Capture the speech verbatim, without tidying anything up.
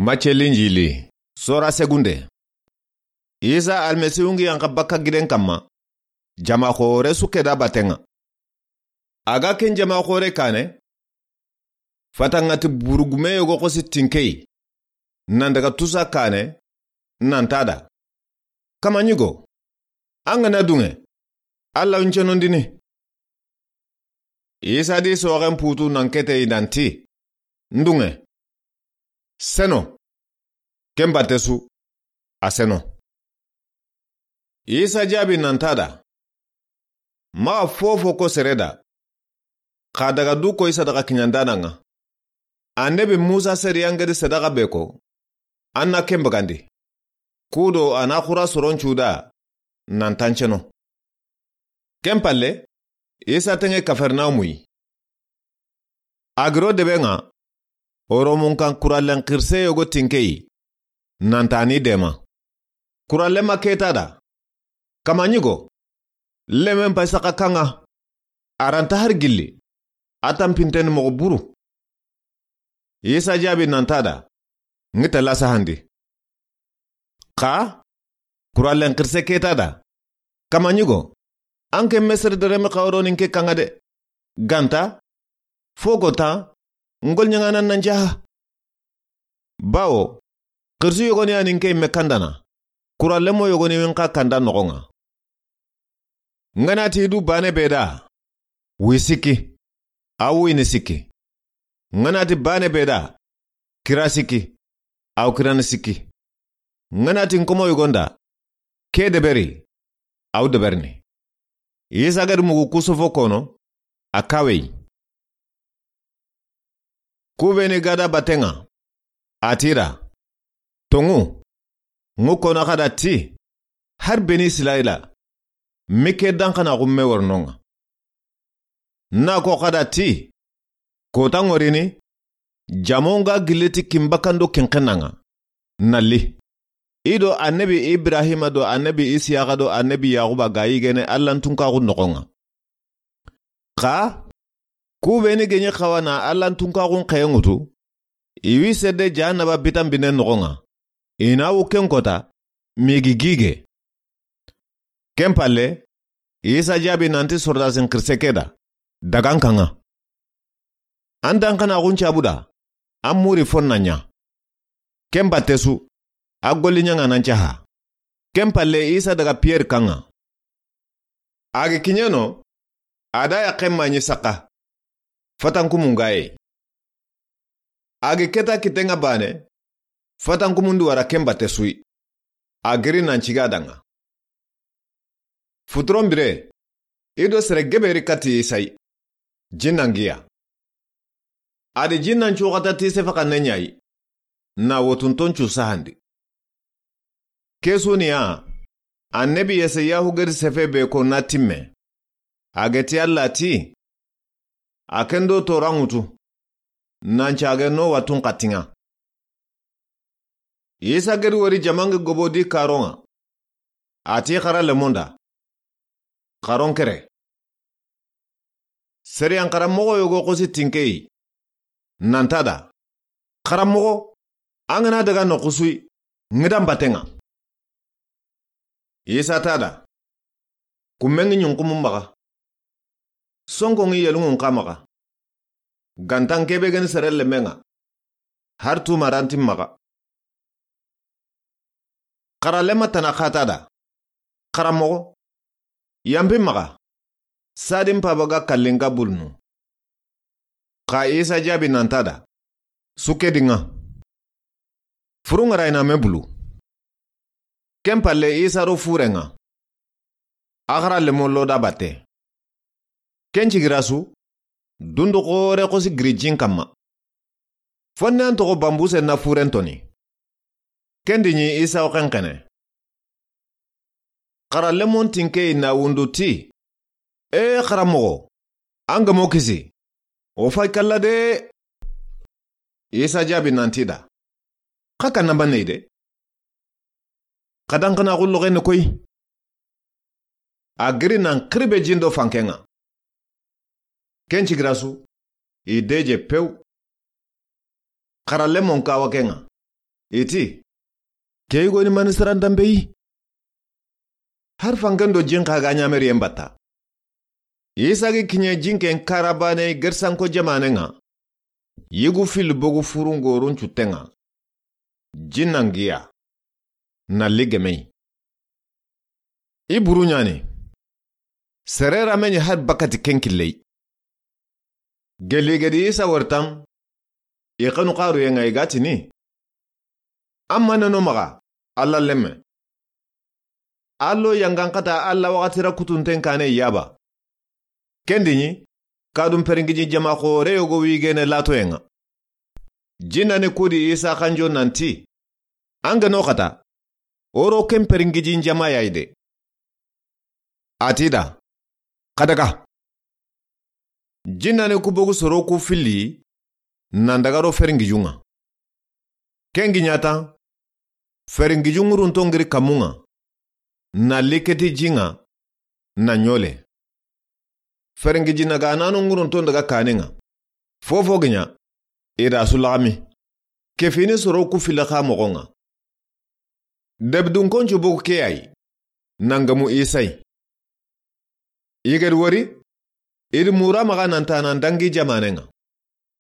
Macce Linjili, sora segunde. Isa Almasihu ngi yanqa bakka giden kamma, jama xoore su ke da baten ŋa. A ga ken jama xoore kaane, fata ŋa ti burugume yogo xosi tinkeyi, nan daga tusa kaane, nan ti a da: Kama ɲigo, an ga na duŋe, Alla n cenondini. Isa di soxen putu nan kete i nan ti: N duŋe. Seno. Ken batte su, a seno. Isa jaabi nan ti a da: Maxa fofo ko sere da, xa daga du koy sadaxa kiɲandaana ŋa. Annabi Musa sariyan ga di sadaxa be ko, an na ken bagandi. Kudo a na xura soron cu da, nan ti an ceno. Ken palle, Isa teŋe Kafarnawumu yi. A giro debe ŋa, Oromun kan kurallen xirise yogo tinkeyi, nan ti a ni dema. Kurallen ma ke ti a da: Kama ɲigo, lemen pay saxa kan ŋa, a ra nta har gilli, a tanpinten ni moxo buru. Isa jaabi nan ti a da: N gi tella sahandi. Xa kurallen xirise ke ti a da: Kama ɲigo, an ke Mesere dereme xawronin ke kan ŋa de. Ganta, fo go ta, n goliɲaŋaanan nan jaha. Bawo, xirisu yogoni ya ni n ke yimme kandana, kurallenmo yogoni wi n xa kanda noxon ŋa. N ga na ti du baane be da, wi sikki, a wi ni sikki. N ga na ti baane be da, kira sikki, a wi kirani sikki. N ga na ti n komo yogon da, ke deberi, a wi deberini. Isa ga di mugu ku sofo kono, a kawe yi. Ku be ni ga da baten ŋa, a ti i da: Toŋu, n ŋu kono xa da ti, har Beni Israyila, mi ke danxanaaxu me wori no ŋa. Na ko xa da ti, kota ŋorini, jamon ga gilli ti kin bakkan do kin xennan ŋa, na li. I do annabi Ibrahima do annabi Isiyaxa do annabi Yaxuba ga yigene Allan tunkaxun noxon ŋa. Xa ku be ni geɲi xawa na Allan tunkaxun xeye ŋutu, i wi sedde jahannaba bitan binen noxon ŋa, i na wu ken kota, migi gige. Ken palle, Isa jaabi nan ti sordasin xirise ke da: Daga n kan ŋa. An danxanaaxun cabu da, an muri fon na ɲa. Ken batte su, a goliɲaŋaanan caha. Ken palle Isa daga Piyeri kan ŋa. A gi kiɲeno, a da yaqqen maɲi saxa, fatankumun ga yi. A gi keta kitten ŋa baane, fatankumun di wara ken batte su yi. A giri nan ciga da ŋa. Futuron bire, i do sere gebe ri kati Isa yi, jinnan giya. A di jinnan cu xata ti sefe xanne ɲa yi, na wotunton cu sahandi. Ke su ni ya, annabi Yesayahu ga di sefe be ko na timme. A ga ti Alla ti: A ken do toran ŋutu, nan cage no watun xatin ŋa. Isa ga di wori jamangi gobo di karon ŋa, a ti xara lemon da: Xaron kere. Sariyan xaranmoxo yogo xosi tinkeyi, nan ti a da: Xaranmoxo, an ga na daga noxu su yi, n ŋi da n baten ŋa. Isa ti a da: Kumme ŋi ɲunxumun maxa, sonko ŋi yeluŋun xa maxa, gantan ke be ga ni sere lemen ŋa, har tumarantin maxa. Xara lema tana xa ti a da: Xaranmoxo, yanpin maxa, sadin paba ga kallin ga bulunu. Xa Isa jaabi nan ti a da: Su ke di ŋa. Furun ŋa ra i na me bulu. Ken palle Isa ro furen ŋa, a xara lemon lo da batte. Ken cigira su, dundu xoore xosi giri jin kamma. Fonne an toxo banbuse na furen toni. Ken di ɲi Isa wo xenxene. Xara lemon tinkeyi na wundu ti: Ee xaranmoxo, an ga mo kisi, o fay kalla de. Isa jaabi nan ti i da: Xa kanna banne yi de. Xa danxanaaxu loxen ni koyi. A giri nan xiribe jin do fanken ŋa. Ken cigira su, i deje pew. Xara lemon kawa ken ŋa, I ti, ke yigoni mani sirantanpe yi? Hari fanken do jin xa ga ɲameriyen batta. Isa gi kiɲe jinken karabane gersanko jamanen ŋa, yigu fili bogu furungorun cutten ŋa, jinnan giya na li gemey. I buru ɲani, sere rame ɲi hari bakati ken killey. Geli gedi Isa waritan, i xanu xaruyen ŋa i ga tini, an ma neno maxa, Alla lemme. Allo yangan xata Alla waxati ra kutunten kane yaba. Kendi ɲi, kadun peringiji jama xore yogo wigene latoyen ŋa. Jinnani kudi Isa xanjo nanti, an geno xata, oro ken peringiji jama yayi de. A ti da, xa daga. Jinnani ku bogu soro ku fili, nan daga ro feringijun ŋa. Ken gi ɲatan, feringijun ŋurunton giri kamun ŋa, na liketi jin ŋa, na ɲole. Feringiji nagananu ŋurunton daga kanen ŋa. Fofo gi ɲa, i da su laxami. Kefini soro ku fili xa moxon ŋa. Debidunkoncu bogu ke yayi, nan gemu Isa yi. I gedi wori, i di mura maxa nan ta nan dangi jamanen ŋa.